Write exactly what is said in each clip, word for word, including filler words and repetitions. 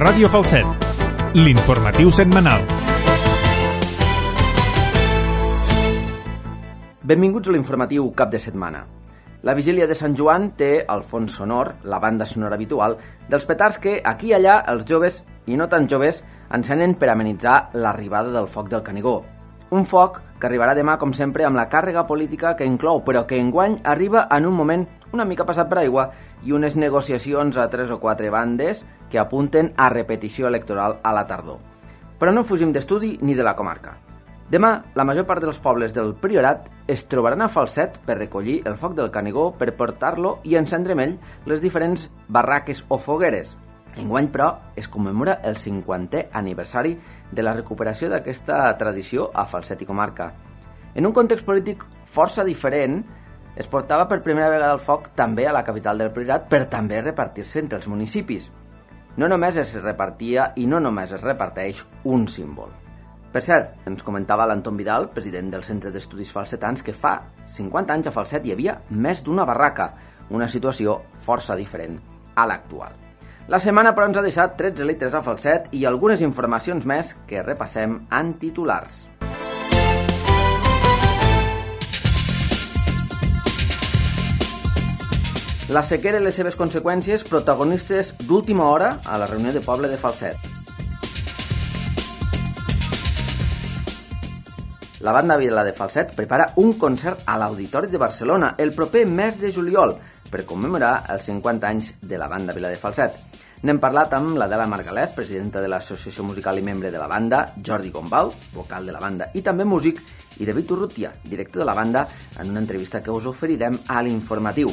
Ràdio Falset, l'informatiu setmanal. Benvinguts a l'informatiu cap de setmana. La vigília de Sant Joan té el fons sonor, la banda sonora habitual, dels petards que aquí i allà els joves, i no tan joves, encenen per amenitzar l'arribada del foc del Canigó. Un foc que arribarà demà, com sempre, amb la càrrega política que inclou, però que enguany arriba en un moment una mica passat per aigua i unes negociacions a tres o quatre bandes que apunten a repetició electoral a la tardor. Però no fugim d'estudi ni de la comarca. Demà, la major part dels pobles del Priorat es trobaran a Falset per recollir el foc del Canigó per portar-lo i encendre amb ell les diferents barraques o fogueres. Enguany, però, es commemora el cinquantè aniversari de la recuperació d'aquesta tradició a Falset i comarca. En un context polític força diferent, es portava per primera vegada el foc també a la capital del Priorat per també repartir-se entre els municipis. No només es repartia i no només es reparteix un símbol. Per cert, ens comentava l'Anton Vidal, president del Centre d'Estudis Falsetans, que fa cinquanta anys a Falset hi havia més d'una barraca, una situació força diferent a l'actual. La setmana, però, ens ha deixat tretze litres a Falset i algunes informacions més que repassem en titulars. La sequera i les seves conseqüències, protagonistes d'última hora a la reunió de poble de Falset. La banda Vila de Falset prepara un concert a l'Auditori de Barcelona el proper mes de juliol per commemorar els cinquanta anys de la banda Vila de Falset. N'hem parlat amb l'Adela Margalef, presidenta de l'Associació Musical i membre de la banda, Jordi Gombau, vocal de la banda i també músic, i David Urrutia, director de la banda, en una entrevista que us oferirem a l'informatiu.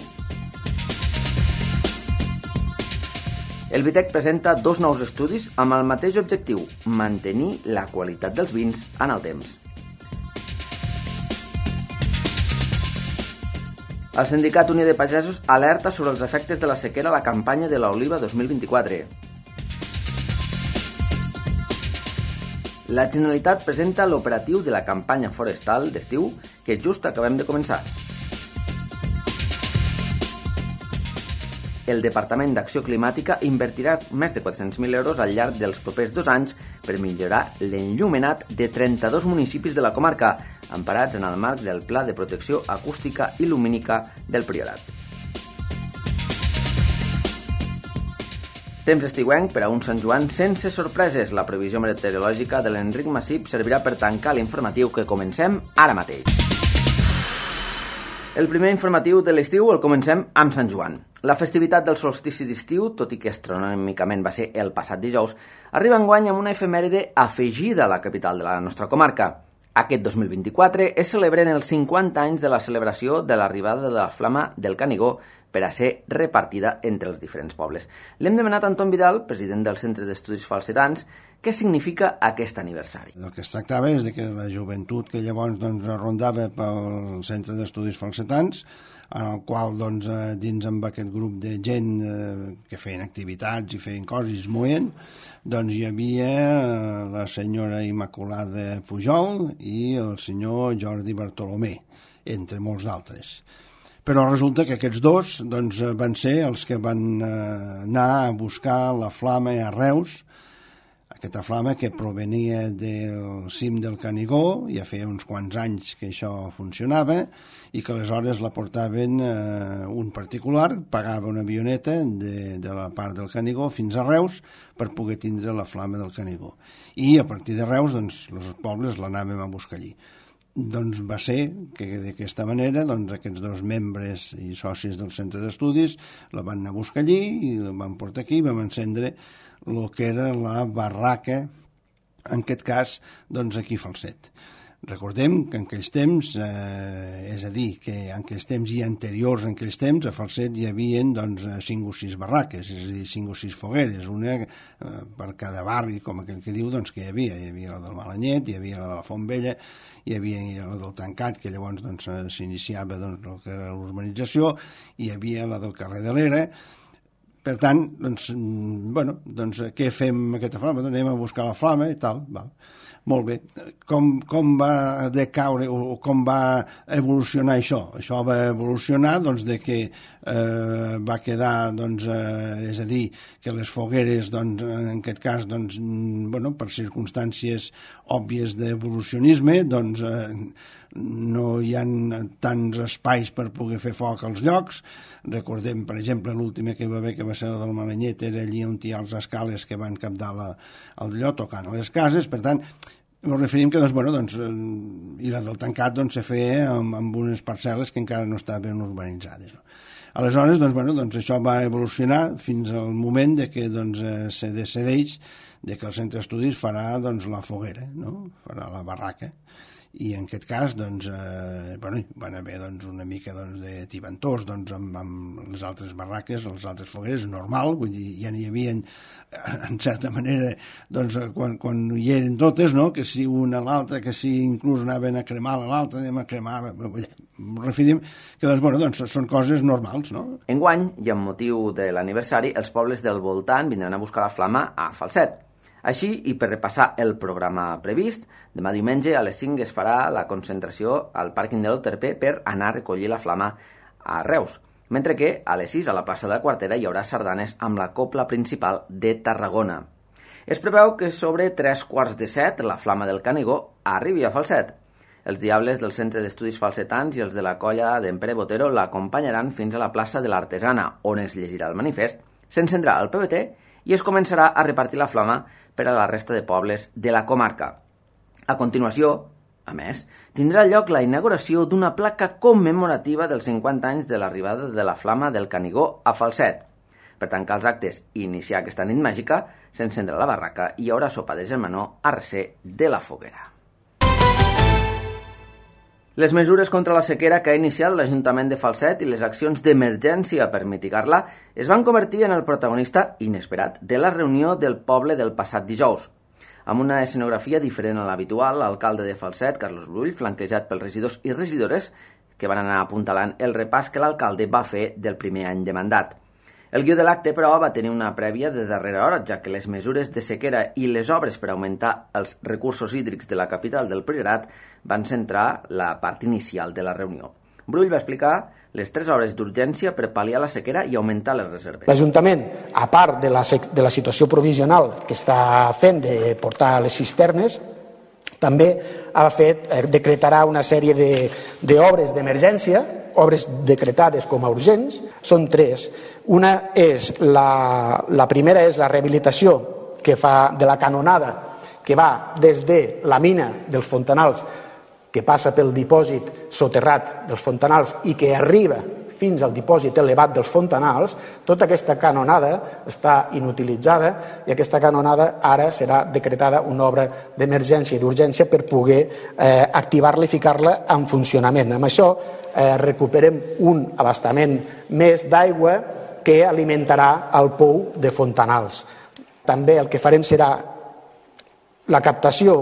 El Vitec presenta dos nous estudis amb el mateix objectiu, mantenir la qualitat dels vins en el temps. El Sindicat Unió de Pagesos alerta sobre els efectes de la sequera a la campanya de l'oliva dos mil vint-i-quatre. La Generalitat presenta l'operatiu de la campanya forestal d'estiu que just acabem de començar. El Departament d'Acció Climàtica invertirà més de quatre-cents mil euros al llarg dels propers dos anys per millorar l'enllumenat de trenta-dos municipis de la comarca, emparats en el marc del Pla de Protecció Acústica i Lumínica del Priorat. Temps estiuenc per a un Sant Joan sense sorpreses. La previsió meteorològica de l'Enric Massip servirà per tancar l'informatiu que comencem ara mateix. El primer informatiu de l'estiu el comencem amb Sant Joan. La festivitat del solstici d'estiu, tot i que astronòmicament va ser el passat dijous, arriba enguany amb una efemèride afegida a la capital de la nostra comarca. Aquest dos mil vint-i-quatre es celebren els cinquanta anys de la celebració de l'arribada de la flama del Canigó per a ser repartida entre els diferents pobles. L'hem demanat a Anton Vidal, president del Centre d'Estudis Falsetans, què significa aquest aniversari. El que es tractava és de que la joventut que llavors doncs, rondava pel Centre d'Estudis Falsetans, en el qual doncs, dins amb aquest grup de gent eh, que feien activitats i feien coses i es moien, doncs hi havia la senyora Immaculada Pujol i el senyor Jordi Bartolomé, entre molts d'altres. Però resulta que aquests dos doncs, van ser els que van eh, anar a buscar la flama a Reus, aquesta flama que provenia del cim del Canigó, ja feia uns quants anys que això funcionava, i que aleshores la portaven eh, un particular, pagava una avioneta de, de la part del Canigó fins a Reus per poder tindre la flama del Canigó. I a partir de Reus, doncs, els pobles l'anàvem a buscar allí. Doncs va ser que d'aquesta manera doncs, aquests dos membres i socis del centre d'estudis la van anar a buscar allí i la van portar aquí i vam encendre el que era la barraca, en aquest cas, doncs aquí a Falset. Recordem que en aquells temps, eh, és a dir, que en aquells temps i anteriors en aquells temps, a Falset hi havia doncs, cinc o sis barraques, és a dir, cinc o sis fogueres, una eh, per cada barri, com aquell que diu, doncs que hi havia. Hi havia la del Malanyet, hi havia la de la Font Vella, hi havia la del Tancat, que llavors doncs, s'iniciava doncs, el que era l'urbanització, hi havia la del carrer de l'Era. per tant, doncs, bueno, doncs, què fem amb aquesta flama? Doncs anem a buscar la flama i tal, val. Molt bé. Com, com va decaure o com va evolucionar això? Això va evolucionar doncs, de que eh, va quedar, doncs, eh, és a dir, que les fogueres, doncs, en aquest cas, doncs, bueno, per circumstàncies òbvies d'evolucionisme, doncs, eh, no hi ha tants espais per poder fer foc als llocs. Recordem, per exemple, l'última que va haver, que va ser la del Malanyet, era allí on hi ha els escales que van captar la, el lloc tocant a les cases. Per tant, ens referim que, doncs, bueno, doncs, i la del tancat doncs, se feia amb, amb unes parcel·les que encara no estaven urbanitzades. No? Aleshores, doncs, bueno, doncs, això va evolucionar fins al moment de que doncs, se decideix de que el centre d'estudis farà doncs, la foguera, no? Farà la barraca. I en aquest cas doncs, eh, bueno, van haver doncs, una mica doncs, de tibantors doncs, amb, amb les altres barraques, les altres fogueres, normal, vull dir, ja n'hi havia en certa manera doncs, quan, quan hi eren totes, no? Que si una a l'altra, que si inclús anaven a cremar a l'altra, anem a cremar, referim que doncs, bueno, doncs, són coses normals, no? Enguany, i amb motiu de l'aniversari, els pobles del voltant vindran a buscar la flama a Falset. Així, i per repassar el programa previst, demà diumenge a les cinc es farà la concentració al pàrquing de l'Oterpé per anar a recollir la flama a Reus, mentre que a les sis a la plaça de la Quartera hi haurà sardanes amb la cobla principal de Tarragona. Es preveu que sobre tres quarts de set la flama del Canigó arribi a Falset. Els diables del Centre d'Estudis Falsetans i els de la colla d'en Pere Botero l'acompanyaran fins a la plaça de l'Artesana, on es llegirà el manifest, s'encendrà el P B T i es començarà a repartir la flama per a la resta de pobles de la comarca. A continuació, a més, tindrà lloc la inauguració d'una placa commemorativa dels cinquanta anys de l'arribada de la flama del Canigó a Falset. Per tancar els actes i iniciar aquesta nit màgica, s'encendrà la barraca i hi haurà sopa de germanor a recer de la foguera. Les mesures contra la sequera que ha iniciat l'Ajuntament de Falset i les accions d'emergència per mitigar-la es van convertir en el protagonista inesperat de la reunió del poble del passat dijous. Amb una escenografia diferent a l'habitual, l'alcalde de Falset, Carlos Brull, flanquejat pels regidors i regidores, que van anar apuntalant el repàs que l'alcalde va fer del primer any de mandat. El guió de l'acte, però, va tenir una prèvia de darrera hora, ja que les mesures de sequera i les obres per augmentar els recursos hídrics de la capital del Priorat van centrar la part inicial de la reunió. Brull va explicar les tres obres d'urgència per pal·liar la sequera i augmentar les reserves. L'Ajuntament, a part de la, de la situació provisional que està fent de portar les cisternes, també ha fet, decretarà una sèrie d'obres d'emergència, obres decretades com a urgents, són tres. Una és, la, la primera és la rehabilitació que fa de la canonada que va des de la mina dels Fontanals, que passa pel dipòsit soterrat dels Fontanals i que arriba fins al dipòsit elevat dels Fontanals. Tota aquesta canonada està inutilitzada i aquesta canonada ara serà decretada una obra d'emergència i d'urgència per poder eh, activar-la i ficar-la en funcionament. Amb això eh, recuperem un abastament més d'aigua que alimentarà el pou de Fontanals. També el que farem serà la captació,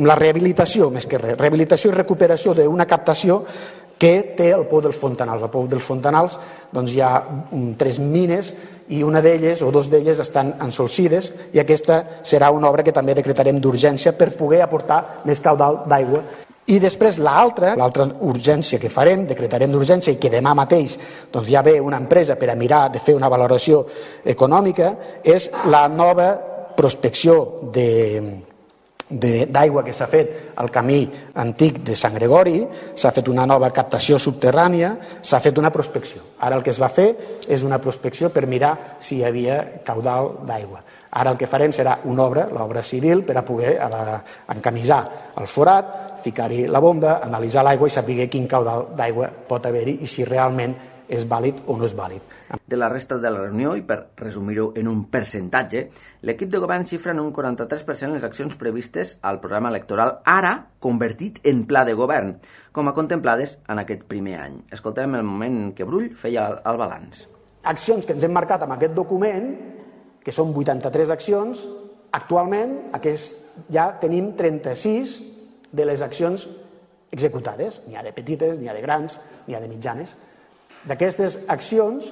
la rehabilitació, més que res, rehabilitació i recuperació d'una captació que té el pou dels Fontanals. El pou dels Fontanals doncs, hi ha um, tres mines i una d'elles o dos d'elles estan ensolcides i aquesta serà una obra que també decretarem d'urgència per poder aportar més caudal d'aigua. I després l'altra, l'altra urgència que farem, decretarem d'urgència i que demà mateix doncs, ja ve una empresa per a mirar de fer una valoració econòmica, és la nova prospecció de d'aigua que s'ha fet al camí antic de Sant Gregori, s'ha fet una nova captació subterrània, s'ha fet una prospecció. Ara el que es va fer és una prospecció per mirar si hi havia caudal d'aigua. Ara el que farem serà una obra, l'obra civil, per a poder encamisar el forat, ficar-hi la bomba, analitzar l'aigua i saber quin caudal d'aigua pot haver-hi i si realment és vàlid o no és vàlid. De la resta de la reunió, i per resumir-ho en un percentatge, l'equip de govern xifra en un quaranta-tres per cent les accions previstes al programa electoral, ara convertit en pla de govern, com a contemplades en aquest primer any. Escoltem el moment en què Brull feia el balanç. Accions que ens hem marcat amb aquest document, que són vuitanta-tres accions, actualment aquest, ja tenim trenta-sis de les accions executades. N'hi ha de petites, n'hi ha de grans, n'hi ha de mitjanes. D'aquestes accions,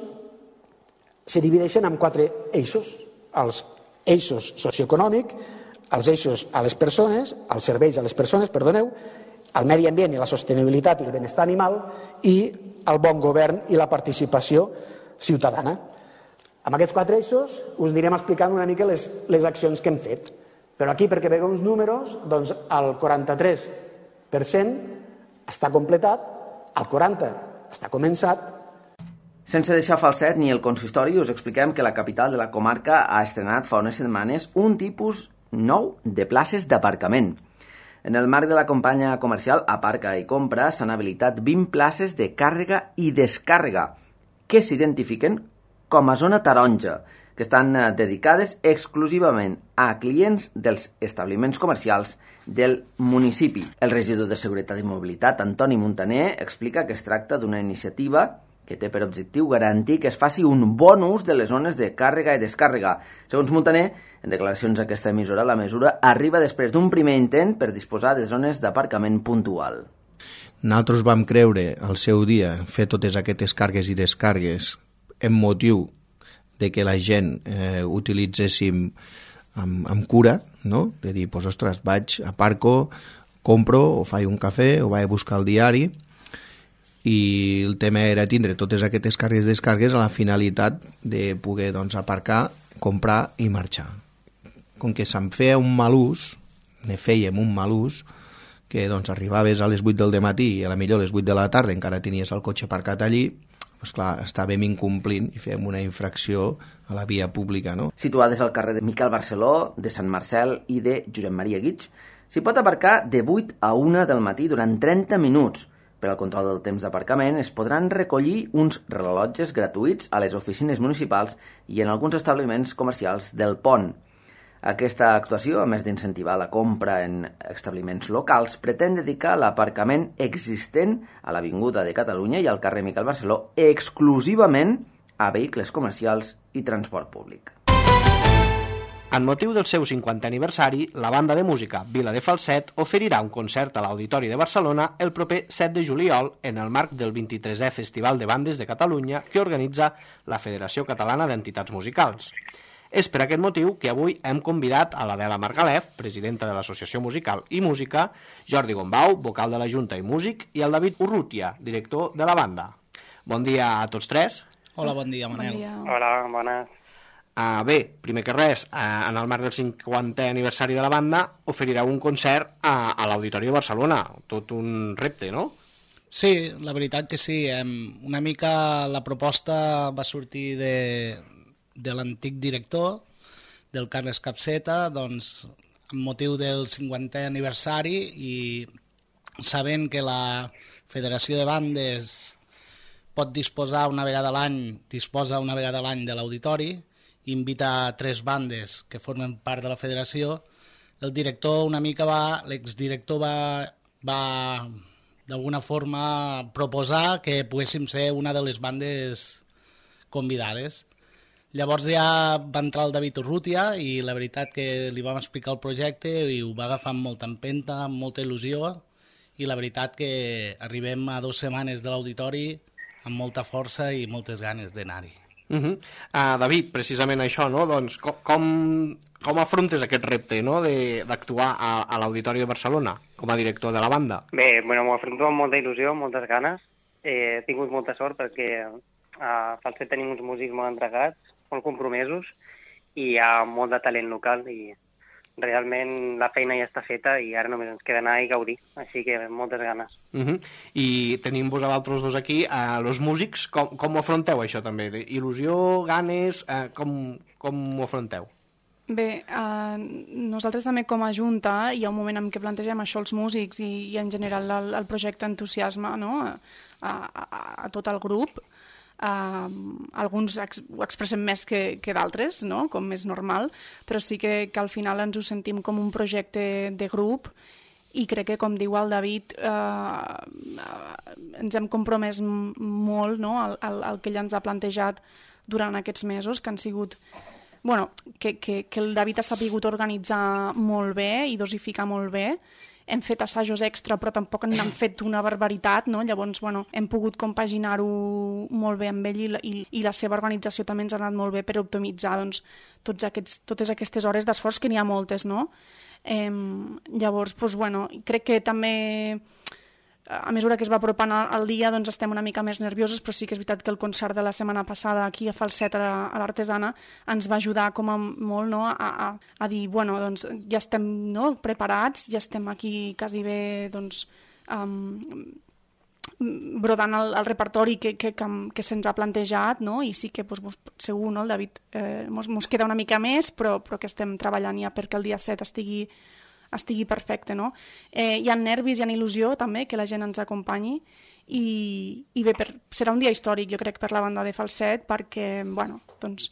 se divideixen en quatre eixos. Els eixos socioeconòmic, els eixos a les persones, els serveis a les persones, perdoneu, el medi ambient i la sostenibilitat i el benestar animal i el bon govern i la participació ciutadana. Amb aquests quatre eixos us anirem explicant una mica les, les accions que hem fet. Però aquí, perquè veieu uns números, doncs el quaranta-tres per cent està completat, el quaranta per cent està començat. Sense deixar falset ni el consistori, us expliquem que la capital de la comarca ha estrenat fa unes setmanes un tipus nou de places d'aparcament. En el marc de la campanya comercial Aparca i Compra s'han habilitat vint places de càrrega i descàrrega que s'identifiquen com a zona taronja, que estan dedicades exclusivament a clients dels establiments comercials del municipi. El regidor de Seguretat i Mobilitat, Antoni Montaner, explica que es tracta d'una iniciativa que té per objectiu garantir que es faci un bon ús de les zones de càrrega i descàrrega. Segons Montaner, en declaracions a aquesta emissora, la mesura arriba després d'un primer intent per disposar de zones d'aparcament puntual. Nosaltres vam creure al seu dia fer totes aquestes càrregues i descàrregues en motiu de que la gent eh, utilitzéssim amb, amb cura, no? De dir, pues, ostres, vaig, aparco, compro, o faig un cafè, o vaig a buscar el diari, i el tema era tindre totes aquestes càrregues i descàrregues a la finalitat de poder, doncs, aparcar, comprar i marxar. Com que se'n feia un mal ús, ne fèiem un mal ús, que doncs, arribaves a les vuit del matí i a la millor a les vuit de la tarda encara tenies el cotxe aparcat allí, doncs clar, estàvem incomplint i fèiem una infracció a la via pública, no? Situades al carrer de Miquel Barceló, de Sant Marcel i de Josep Maria Guix, s'hi pot aparcar de vuit a una del matí durant trenta minuts. Per al control del temps d'aparcament es podran recollir uns rellotges gratuïts a les oficines municipals i en alguns establiments comercials del Pont. Aquesta actuació, a més d'incentivar la compra en establiments locals, pretén dedicar l'aparcament existent a l'Avinguda de Catalunya i al carrer Miquel Barceló exclusivament a vehicles comercials i transport públic. En motiu del seu cinquantè aniversari, la banda de música Vila de Falset oferirà un concert a l'Auditori de Barcelona el proper set de juliol en el marc del vint-i-tresè Festival de Bandes de Catalunya que organitza la Federació Catalana d'Entitats Musicals. És per aquest motiu que avui hem convidat a l'Adela Margalef, presidenta de l'Associació Musical i Música, Jordi Gombau, vocal de la Junta i músic, i el David Urrutia, director de la banda. Bon dia a tots tres. Hola, bon dia, Manel. Bon dia. Hola, bones. Uh, bé, primer que res, uh, en el marc del cinquantè aniversari de la banda oferireu un concert a, a l'Auditori de Barcelona. Tot un repte, no? Sí, la veritat que sí. Una mica la proposta va sortir de... de l'antic director, del Carles Capseta, doncs, amb motiu del cinquantè aniversari i sabent que la Federació de Bandes pot disposar una vegada a l'any, disposa una vegada a l'any de l'auditori, invita a tres bandes que formen part de la federació, el director una mica va, l'exdirector va, va d'alguna forma proposar que poguéssim ser una de les bandes convidades. Llavors ja va entrar el David Urrutia i la veritat que li vam explicar el projecte i ho va agafar amb molta empenta, amb molta il·lusió i la veritat que arribem a dues setmanes de l'auditori amb molta força i moltes ganes d'anar-hi. Uh -huh. uh, David, precisament això, no? Doncs com, com, com afrontes aquest repte, no? d'actuar a, a l'Auditori de Barcelona com a director de la banda? Bé, bueno, m'ho afronto amb molta il·lusió, amb moltes ganes. Eh, he tingut molta sort perquè a Falset tenim uns músics molt entregats, molt compromesos i hi ha molt de talent local i realment la feina ja està feta i ara només ens queda anar i gaudir, així que moltes ganes. Uh -huh. I tenim vosaltres dos aquí, uh, els músics, com, com ho afronteu això també? Il·lusió, ganes, uh, com, com ho afronteu? Bé, uh, nosaltres també com a Junta hi ha un moment en què plantegem això als músics i, i en general el, el projecte entusiasma, no? a, a, a tot el grup. Uh, alguns ex ho expressem més que, que d'altres, no? Com és normal, però sí que, que al final ens ho sentim com un projecte de grup i crec que, com diu el David, uh, uh, ens hem compromès molt, no? al, al, al que ell ens ha plantejat durant aquests mesos, que han sigut... Bueno, que, que, que el David ha sabut organitzar molt bé i dosificar molt bé hem fet assajos extra, però tampoc n'hem fet una barbaritat, no? Llavors, bueno, hem pogut compaginar-ho molt bé amb ell i la, i, i la seva organització també ens ha anat molt bé per optimitzar doncs, tots aquests, totes aquestes hores d'esforç, que n'hi ha moltes, no? Eh, llavors, doncs, bueno, crec que també a mesura que es va apropant al dia doncs estem una mica més nerviosos, però sí que és veritat que el concert de la setmana passada aquí a Falset, a l'Artesana, ens va ajudar com a molt, no? a, a, a dir, bueno, doncs ja estem, no? preparats, ja estem aquí quasi bé doncs, um, brodant el, el repertori que, que, que, que se'ns ha plantejat, no? I sí que doncs, segur, no? El David eh, mos, mos queda una mica més, però, però que estem treballant ja perquè el dia set estigui estigui perfecte, no? Eh, hi ha nervis, hi ha il·lusió també, que la gent ens acompanyi i, i bé, per, serà un dia històric, jo crec, per la banda de Falset, perquè, bueno, doncs,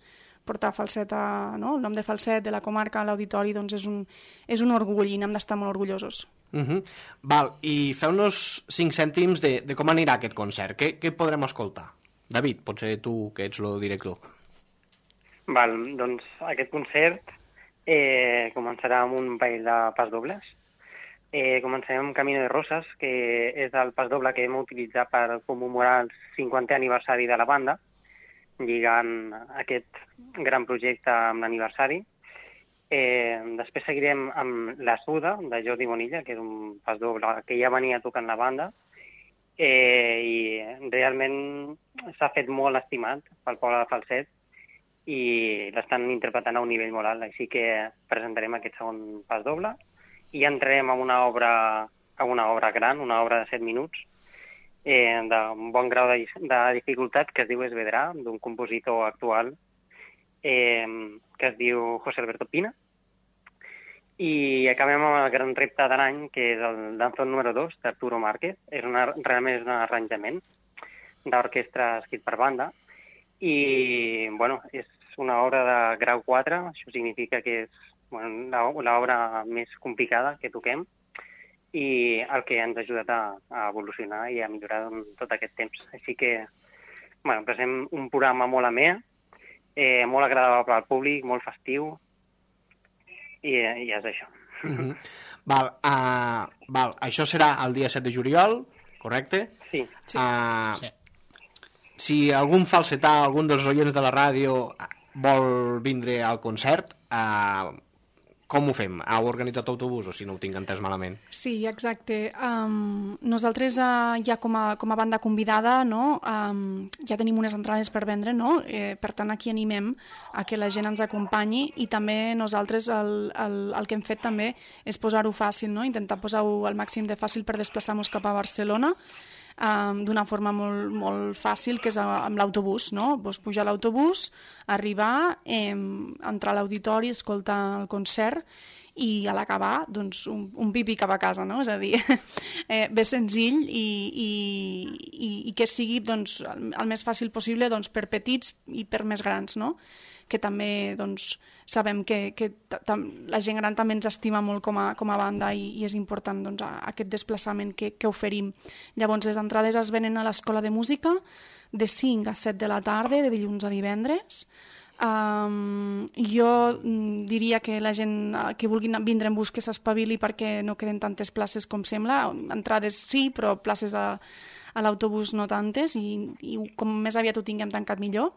portar Falset a, no? el nom de Falset, de la comarca, a l'auditori, doncs és un, és un orgull i n'hem d'estar molt orgullosos. Uh-huh. Val, i feu-nos cinc cèntims de, de com anirà aquest concert. Què, què podrem escoltar? David, potser tu, que ets el director. Val, doncs aquest concert Eh, començarà amb un ball de pas dobles. Eh, començarem amb Camino de Roses, que és el pas doble que hem utilitzat per commemorar el cinquantè aniversari de la banda, lligant aquest gran projecte amb l'aniversari. Eh, després seguirem amb La Suda, de Jordi Bonilla, que és un pas doble que ja venia tocant la banda, eh, i realment s'ha fet molt estimat pel poble de Falset, i l'estan interpretant a un nivell molt alt, així que presentarem aquest segon pas doble i entrarem a una obra, a una obra gran, una obra de set minuts, eh, d'un bon grau de, de dificultat, que es diu Esvedrà, d'un compositor actual eh, que es diu José Alberto Pina, i acabem amb el gran repte de l'any, que és el danzón número dos d'Arturo Márquez. És una, realment és un arranjament d'orquestra escrit per banda, i bueno, és una obra de grau quatre, això significa que és bueno, l'obra més complicada que toquem i el que ens ha ajudat a, a evolucionar i a millorar en tot aquest temps. Així que bueno, presentem un programa molt amè, eh, molt agradable al públic, molt festiu, i, i és això. Mm-hmm. Val, uh, val, això serà el dia set de juliol, correcte? Sí. sí. Uh, sí. Si algun falsetà, algun dels oients de la ràdio vol vindre al concert, eh, com ho fem? Heu organitzat autobús o si no ho tinc entès malament? Sí, exacte. Um, nosaltres uh, ja com a, com a banda convidada, no? um, ja tenim unes entrades per vendre, no? eh, per tant aquí animem a que la gent ens acompanyi i també nosaltres el, el, el que hem fet també és posar-ho fàcil, no? Intentar posar-ho al màxim de fàcil per desplaçar-nos cap a Barcelona, Um, d'una forma molt, molt fàcil, que és amb l'autobús, no? Pues pujar a l'autobús, arribar, eh, entrar a l'auditori, escoltar el concert i a l'acabar, doncs, un, un pipi cap a casa, no? És a dir, eh, bé senzill i, i, i, i que sigui doncs, el, el més fàcil possible doncs, per petits i per més grans, no? Que també doncs, sabem que, que la gent gran també ens estima molt com a, com a banda i, i és important doncs, aquest desplaçament que, que oferim. Llavors, les entrades es venen a l'Escola de Música de cinc a set de la tarda, de dilluns a divendres. Um, jo diria que la gent que vulgui vindre en bus que s'espavili perquè no queden tantes places com sembla. Entrades sí, però places a, a l'autobús no tantes i, i com més aviat ho tinguem tancat millor.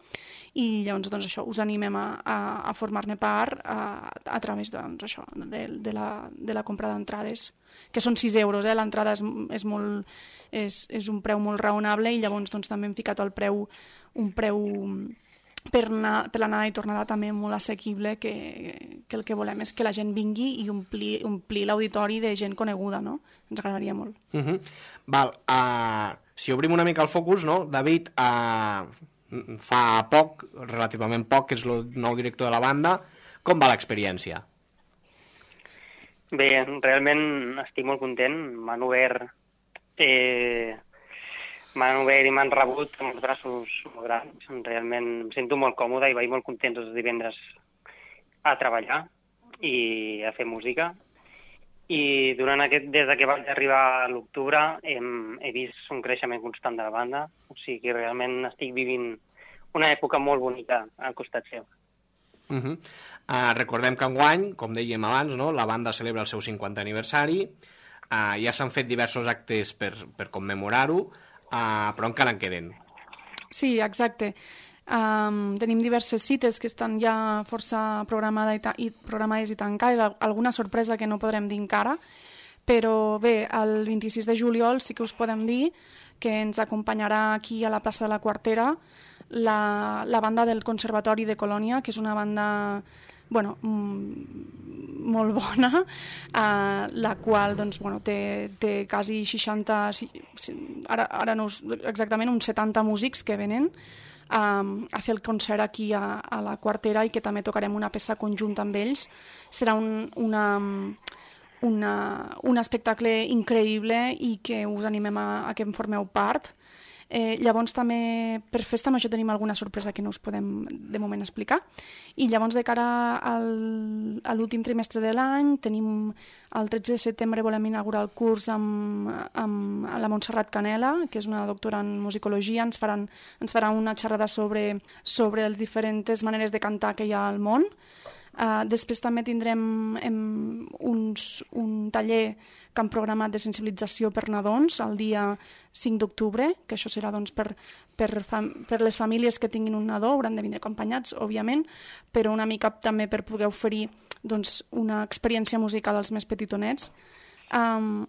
I llavors doncs, això, us animem a, a, a formar-ne part a, a través doncs, això, de, de, la, de la compra d'entrades, que són sis euros, eh? L'entrada és, és, molt, és, és un preu molt raonable i llavors doncs, també hem ficat el preu, un preu per, anar, per l'anada i tornada també molt assequible, que, que el que volem és que la gent vingui i omplir, omplir l'auditori de gent coneguda, no? Ens agradaria molt. Uh-huh. Val, uh, si obrim una mica el focus, no? David, uh, fa poc, relativament poc, que és el nou director de la banda. Com va l'experiència? Bé, realment estic molt content. M'han obert, eh, m'han obert i m'han rebut amb els braços molt grans. Realment em sento molt còmode i vaig molt content els divendres a treballar i a fer música. I durant aquest, des que vaig arribar a l'octubre hem, he vist un creixement constant de la banda, o sigui que realment estic vivint una època molt bonica al costat seu. Uh-huh. uh, recordem que enguany, com dèiem abans, no, la banda celebra el seu cinquantè aniversari. Uh, ja s'han fet diversos actes per, per commemorar-ho, uh, però encara en queden. Sí, exacte. Um, tenim diverses cites que estan ja força programades i, ta i programades i tancades, alguna sorpresa que no podrem dir encara, però bé, el vint-i-sis de juliol sí que us podem dir que ens acompanyarà aquí a la plaça de la Quartera la, la banda del Conservatori de Colònia, que és una banda bueno, mm, molt bona, uh, la qual doncs, bueno, té, té quasi seixanta, ara, ara no us, exactament uns setanta músics que venen Um, a fer el concert aquí a, a la Quartera i que també tocarem una peça conjunta amb ells. Serà un, una, una, un espectacle increïble i que us animem a, a que en formeu part. Eh, llavors també per Festa Major tenim alguna sorpresa que no us podem de moment explicar, i llavors de cara al, a l'últim trimestre de l'any tenim el tretze de setembre volem inaugurar el curs amb, amb la Montserrat Canela, que és una doctora en musicologia. Ens, faran, ens farà una xerrada sobre, sobre les diferents maneres de cantar que hi ha al món. Uh, després també tindrem em, uns, un taller que han programat de sensibilització per nadons el dia cinc d'octubre, que això serà doncs, per, per, per les famílies que tinguin un nadó, hauran de vindre acompanyats, òbviament, però una mica també per poder oferir doncs, una experiència musical als més petitonets. Um,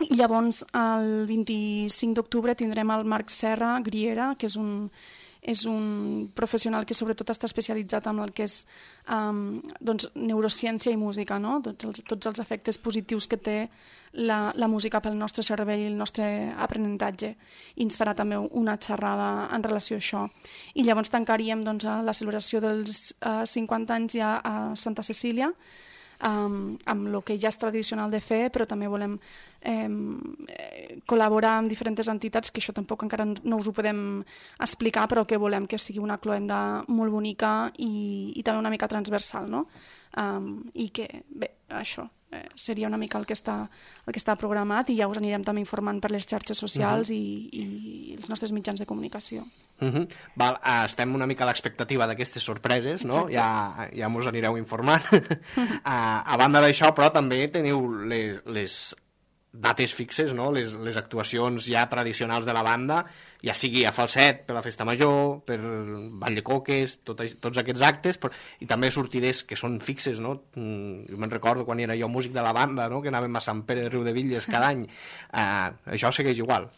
I llavors, el vint-i-cinc d'octubre tindrem el Marc Serra Griera, que és un és un professional que sobretot està especialitzat en el que és um, doncs, neurociència i música, no? Tots els, tots els efectes positius que té la, la música pel nostre cervell i el nostre aprenentatge. I ens farà també una xerrada en relació a això. I llavors tancaríem doncs, la celebració dels uh, cinquanta anys ja a Santa Cecília, Um, amb el que ja és tradicional de fer, però també volem eh, col·laborar amb diferents entitats, que això tampoc encara no us ho podem explicar, però que volem que sigui una cloenda molt bonica i, i també una mica transversal, no? Um, i que, bé, això eh, seria una mica el que, està, el que està programat, i ja us anirem també informant per les xarxes socials uh-huh. i, i els nostres mitjans de comunicació. Uh-huh. Val, uh, estem una mica a l'expectativa d'aquestes sorpreses, no? Ja, ja mos anireu informant. uh, a banda d'això, però també teniu les, les dates fixes, no? les, les actuacions ja tradicionals de la banda, ja sigui a Falset, per la Festa Major, per Ball de Coques, tot, tots aquests actes, però, i també sortides que són fixes, no? Mm, jo me'n recordo quan era jo músic de la banda, no? Que anàvem a Sant Pere de Riudebitlles cada any. Uh, això segueix igual.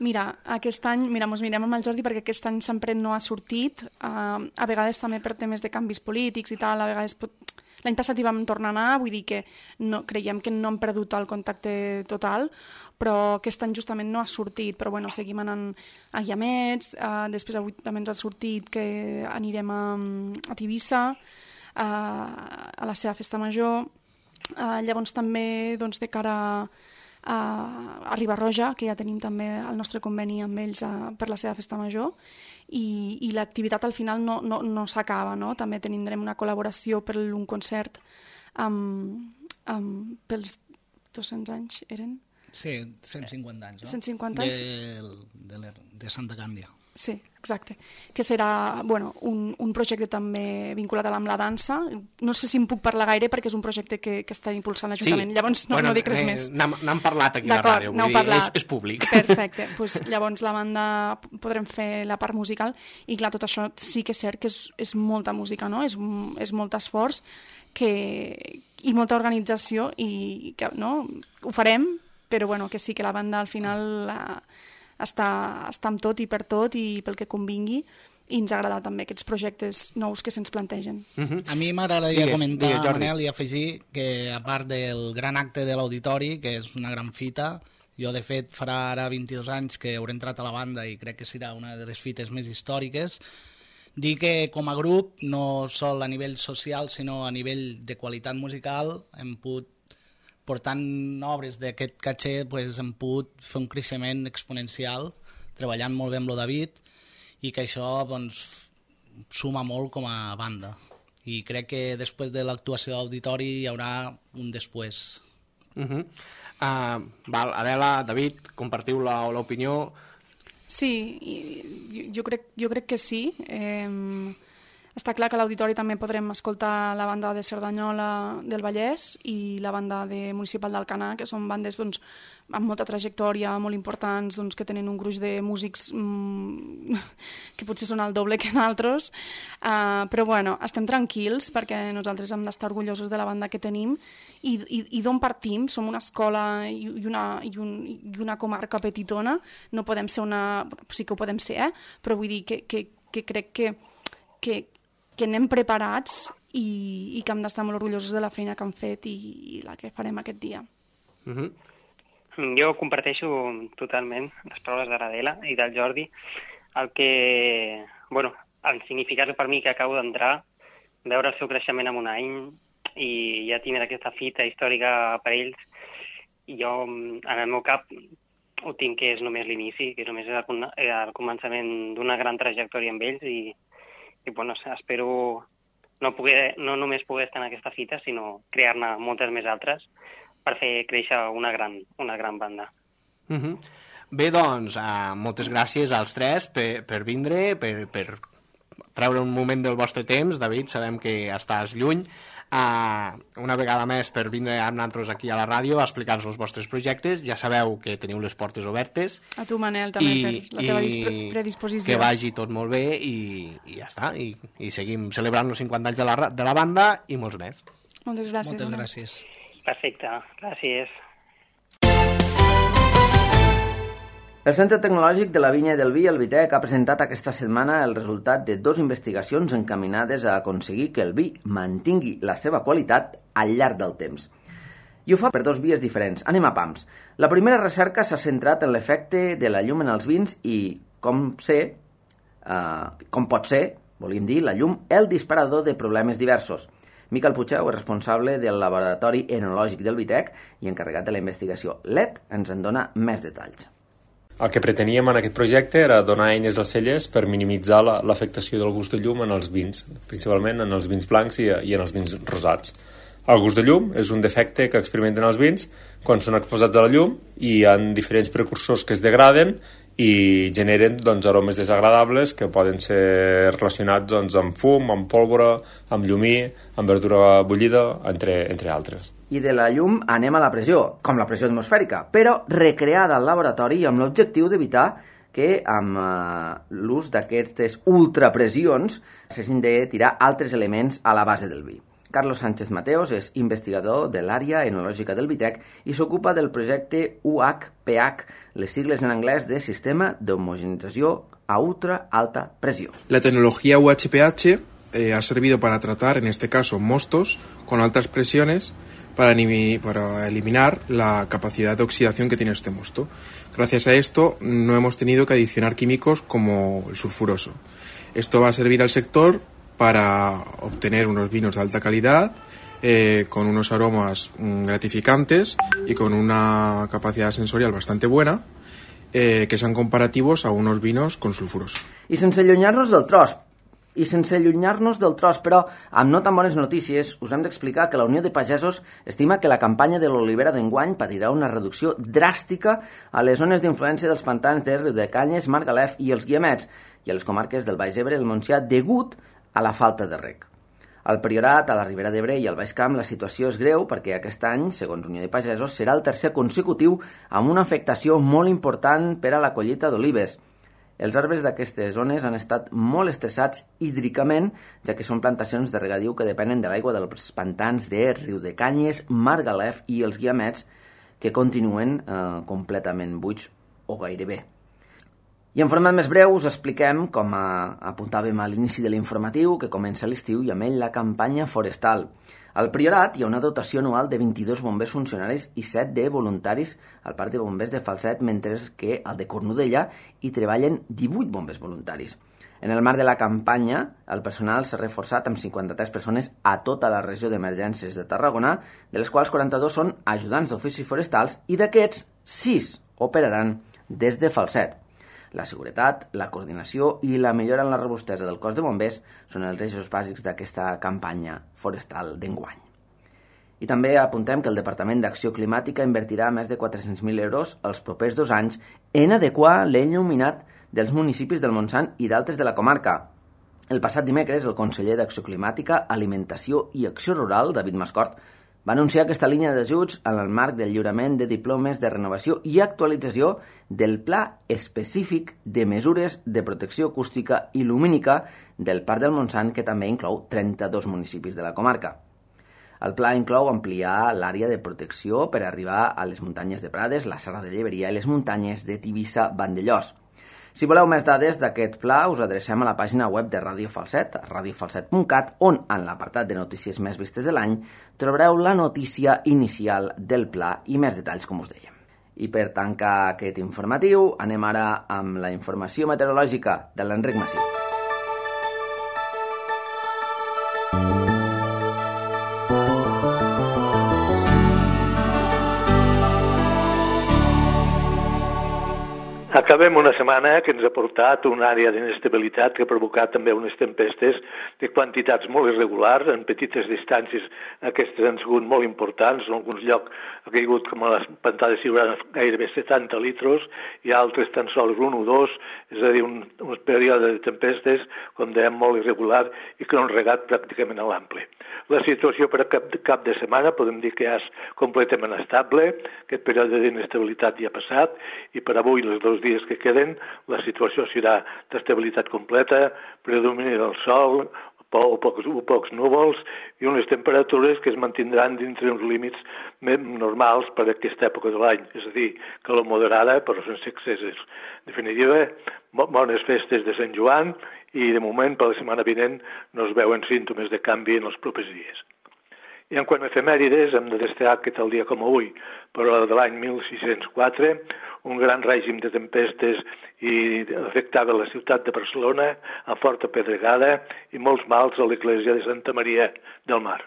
Mira, aquest any, mira, mos mirem amb el Jordi perquè aquest any sempre no ha sortit, uh, a vegades també per temes de canvis polítics i tal, a vegades pot... L'any passat hi vam tornar a anar, vull dir que no, creiem que no hem perdut el contacte total, però aquest any justament no ha sortit, però bueno, seguim anant a Guiamets, uh, després avui també ens ha sortit que anirem a, a Tivissa, uh, a la seva Festa Major, uh, llavors també doncs, de cara a, a Riba-roja, que ja tenim també el nostre conveni amb ells uh, per la seva Festa Major, i, i l'activitat al final no, no, no s'acaba, no? També tindrem una col·laboració per un concert amb, amb, pels dos-cents anys, eren? Sí, cent cinquanta anys, no? cent cinquanta anys? De, de, de Santa Càndia. Sí, exacte. Que serà bueno, un, un projecte també vinculat amb la dansa. No sé si em puc parlar gaire perquè és un projecte que, que està impulsant l'Ajuntament. Sí. Llavors no, bueno, no dic res més. N'hem parlat aquí a la ràdio, vull dir, és, és públic. Perfecte. Pues, llavors la banda podrem fer la part musical i clar, tot això sí que és cert que és, és molta música, no? És, és molt esforç que, i molta organització i que no, ho farem, però bueno, que sí que la banda al final la, està, està amb tot i per tot i pel que convingui, i ens agrada també aquests projectes nous que se'ns plantegen. Uh-huh. A mi m'agradaria comentar, digues, Manel, i afegir que a part del gran acte de l'Auditori, que és una gran fita, jo de fet farà ara vint-i-dos anys que hauré entrat a la banda i crec que serà una de les fites més històriques, dir que com a grup, no sol a nivell social, sinó a nivell de qualitat musical, hem pogut portant obres d'aquest caché, pues, hem pogut fer un creixement exponencial, treballant molt bé amb el David, i que això doncs, suma molt com a banda. I crec que després de l'actuació d'Auditori hi haurà un després. Uh-huh. uh, val, Adela, David, compartiu l'opinió? Sí, jo, jo, crec, jo crec que sí. Eh, Està clar que a l'auditori també podrem escoltar la banda de Cerdanyola del Vallès i la banda de Municipal d'Alcanar, que són bandes doncs, amb molta trajectòria, molt importants, doncs, que tenen un gruix de músics mmm, que potser són el doble que nosaltres. Uh, però bueno, estem tranquils perquè nosaltres hem d'estar orgullosos de la banda que tenim i, i, i d'on partim. Som una escola i, i, una, i, un, i una comarca petitona. No podem ser una... Sí que ho podem ser, eh? Però vull dir que, que, que crec que, que que anem preparats i, i que hem d'estar molt orgullosos de la feina que hem fet i, i la que farem aquest dia. Mm-hmm. Jo comparteixo totalment les paraules de l'Adela i del Jordi. El que, bueno, el significat per mi que acabo d'entrar, veure el seu creixement en un any i ja tindre aquesta fita històrica per ells, i jo en el meu cap ho tinc que és només l'inici, que només és el, el començament d'una gran trajectòria amb ells i I bueno, espero no, poder, no només poder estar en aquesta fita, sinó crear-ne moltes més altres per fer créixer una gran, una gran banda. Mm-hmm. Bé, doncs, uh, moltes gràcies als tres per, per vindre, per, per treure un moment del vostre temps. David, sabem que estàs lluny. Uh, una vegada més per vindre amb nosaltres aquí a la ràdio a explicar-nos els vostres projectes. Ja sabeu que teniu les portes obertes. A tu, Manel, també, i, per la teva i predisposició. Que vagi tot molt bé i, i ja està. I, i seguim celebrant els cinquanta anys de la, de la banda i molts més. Moltes gràcies. Moltes gràcies. Perfecte, gràcies. El Centre Tecnològic de la Vinya i del Vi, el Vitec, ha presentat aquesta setmana el resultat de dues investigacions encaminades a aconseguir que el vi mantingui la seva qualitat al llarg del temps. I ho fa per dos vies diferents. Anem a pams. La primera recerca s'ha centrat en l'efecte de la llum en els vins i com ser, eh, com pot ser, volíem dir, la llum, el disparador de problemes diversos. Miquel Puigeu és responsable del Laboratori Enològic del Vitec i encarregat de la investigació L E D ens en dona més detalls. El que preteníem en aquest projecte era donar eines als cellers per minimitzar l'afectació del gust de llum en els vins, principalment en els vins blancs i, i en els vins rosats. El gust de llum és un defecte que experimenten els vins quan són exposats a la llum i hi ha diferents precursors que es degraden i generen doncs, aromes desagradables que poden ser relacionats doncs, amb fum, amb pólvora, amb llumí, amb verdura bullida, entre, entre altres. I de la llum anem a la pressió, com la pressió atmosfèrica, però recreada al laboratori amb l'objectiu d'evitar que amb eh, l'ús d'aquestes ultrapressions s'hagin de tirar altres elements a la base del vi. Carlos Sánchez Mateos és investigador de l'àrea enològica del Vitec i s'ocupa del projecte U H P H, les sigles en anglès de Sistema d'Homogenització a Ultra Alta Presión. La tecnología U H P H eh, ha servido para tratar, en este caso, mostos con altas presiones para, para eliminar la capacidad de oxidación que tiene este mosto. Gracias a esto no hemos tenido que adicionar químicos como el sulfuroso. Esto va a servir al sector para obtener unos vinos de alta calidad, eh, con unos aromas mm, gratificantes y con una capacidad sensorial bastante buena, eh, que sean comparativos a unos vinos con sulfuroso. I sense allunyar-nos del tros, i sense allunyar-nos del tros, però amb no tan bones notícies, us hem d'explicar que la Unió de Pagesos estima que la campanya de l'olivera d'enguany patirà una reducció dràstica a les zones d'influència dels pantans de Riudecanyes, Margalef i els Guiamets, i a les comarques del Baix Ebre i el Montsià, degut a la falta de reg. Al Priorat, a la Ribera d'Ebre i al Baix Camp la situació és greu perquè aquest any, segons Unió de Pagesos, serà el tercer consecutiu amb una afectació molt important per a la collita d'olives. Els arbres d'aquestes zones han estat molt estressats hídricament, ja que són plantacions de regadiu que depenen de l'aigua dels pantans de Riudecanyes, Margalef i els Guiamets, que continuen eh, completament buits o gairebé. I en format més breu us expliquem, com a, apuntàvem a l'inici de l'informatiu, que comença l'estiu i amb ell la campanya forestal. Al Priorat hi ha una dotació anual de vint-i-dos bombers funcionaris i set de voluntaris al Parc de Bombers de Falset, mentre que al de Cornudella hi treballen divuit bombers voluntaris. En el marc de la campanya, el personal s'ha reforçat amb cinquanta-tres persones a tota la regió d'emergències de Tarragona, de les quals quaranta-dos són ajudants d'oficis forestals i d'aquests, sis operaran des de Falset. La seguretat, la coordinació i la millora en la robustesa del cos de bombers són els eixos bàsics d'aquesta campanya forestal d'enguany. I també apuntem que el Departament d'Acció Climàtica invertirà més de quatre-cents mil euros els propers dos anys en adequar l'enlluminat dels municipis del Montsant i d'altres de la comarca. El passat dimecres, el conseller d'Acció Climàtica, Alimentació i Acció Rural, David Mascort, va anunciar aquesta línia d'ajuts en el marc del lliurament de diplomes de renovació i actualització del Pla Específic de Mesures de Protecció Acústica i Lumínica del Parc del Montsant, que també inclou trenta-dos municipis de la comarca. El pla inclou ampliar l'àrea de protecció per arribar a les muntanyes de Prades, la Serra de Lleberia i les muntanyes de Tivissa-Vandellòs. Si voleu més dades d'aquest pla, us adrecem a la pàgina web de Ràdio Falset, radio falset punt cat, on, en l'apartat de notícies més vistes de l'any, trobareu la notícia inicial del pla i més detalls, com us dèiem. I per tancar aquest informatiu, anem ara amb la informació meteorològica de l'Enric Massí. Acabem una setmana que ens ha portat una àrea d'inestabilitat que ha provocat també unes tempestes de quantitats molt irregulars, en petites distàncies aquestes han sigut molt importants, en alguns llocs ha caigut com a les pantades ciurades gairebé setanta litros i altres tan sols un o dos, és a dir, un, un període de tempestes, com dèiem, molt irregular i que no han regat pràcticament a l'ample. La situació per a cap, cap de setmana podem dir que ja és completament estable, aquest període d'inestabilitat ja ha passat i per avui les dos dies que queden la situació serà d'estabilitat completa, predomini del sol o pocs, o pocs núvols i unes temperatures que es mantindran dintre uns límits normals per a aquesta època de l'any, és a dir, calor moderada però sense excessos. En definitiva, bones festes de Sant Joan i de moment per la setmana vinent no es veuen símptomes de canvi en els propers dies. I en quant a efemèrides, hem de destacar que tal dia com avui, però de l'any mil sis-cents quatre, un gran règim de tempestes i afectava la ciutat de Barcelona amb forta pedregada i molts mals a l'església de Santa Maria del Mar.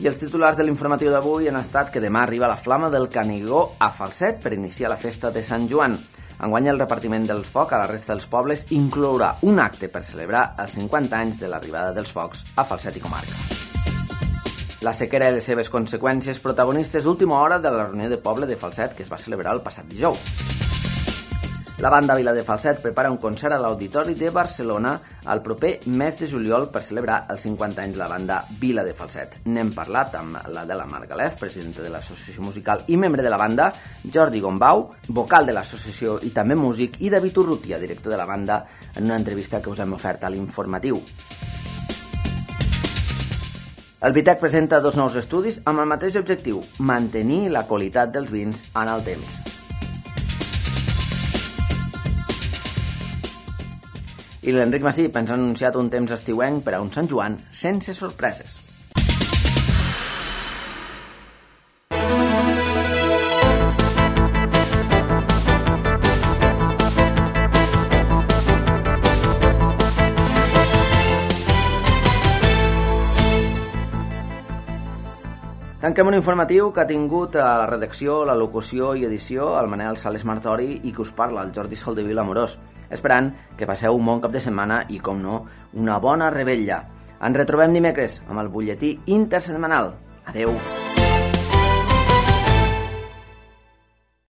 I els titulars de l'informatiu d'avui han estat que demà arriba la Flama del Canigó a Falset per iniciar la festa de Sant Joan. Enguany el repartiment dels focs a la resta dels pobles inclourà un acte per celebrar els cinquanta anys de l'arribada dels focs a Falset i comarca. La sequera i les seves conseqüències protagonistes d'última hora de la reunió de poble de Falset que es va celebrar el passat dijous. La banda Vila de Falset prepara un concert a l'Auditori de Barcelona el proper mes de juliol per celebrar els cinquanta anys de la banda Vila de Falset. N'hem parlat amb l'Adela Margalef, presidenta de l'associació musical i membre de la banda, Jordi Gombau, vocal de l'associació i també músic, i David Urrutia, director de la banda, en una entrevista que us hem ofert a l'informatiu. El Vitec presenta dos nous estudis amb el mateix objectiu, mantenir la qualitat dels vins en el temps. I l'Enric Massí ens ha anunciat un temps estiuenc per a un Sant Joan sense sorpreses. Tanquem un informatiu que ha tingut a la redacció, la locució i edició el Manel Sales Martori i que us parla, el Jordi Soldevila Amorós, esperant que passeu un bon cap de setmana i, com no, una bona revetlla. Ens retrobem dimecres amb el butlletí intersetmanal. Adeu!